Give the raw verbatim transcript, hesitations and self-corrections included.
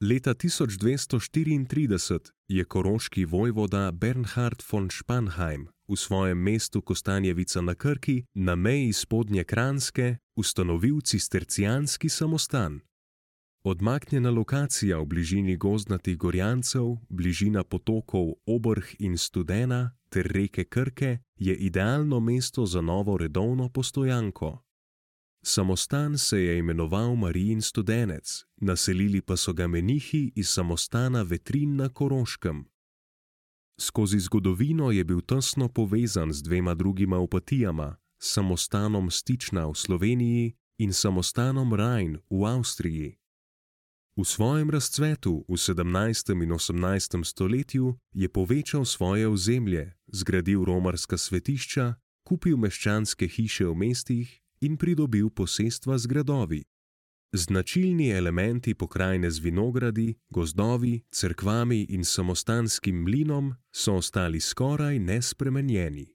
Leta tisoč dvesto štiriintrideset je koroški vojvoda Bernhard von Spanheim v svojem mestu Kostanjevica na Krki na meji Spodnje Kranjske ustanovil cistercijanski samostan. Odmaknjena lokacija v bližini gozdnatih Gorjancev, bližina potokov Obrh in Studena ter reke Krke je idealno mesto za novo redovno postojanko. Samostan se je imenoval Marijin studenec, naselili pa so ga menihi iz samostana Vetrin na Koroškem. Skozi zgodovino je bil tesno povezan z dvema drugima opatijama, samostanom Stična v Sloveniji in samostanom Rajn v Avstriji. V svojem razcvetu v sedemnajstem in osemnajstem stoletju je povečal svoje ozemlje, zgradil romarska svetišča, kupil meščanske hiše v mestih in pridobil posestva z gradovi. Značilni elementi pokrajine z vinogradi, gozdovi, cerkvami in samostanskim mlinom so ostali skoraj nespremenjeni.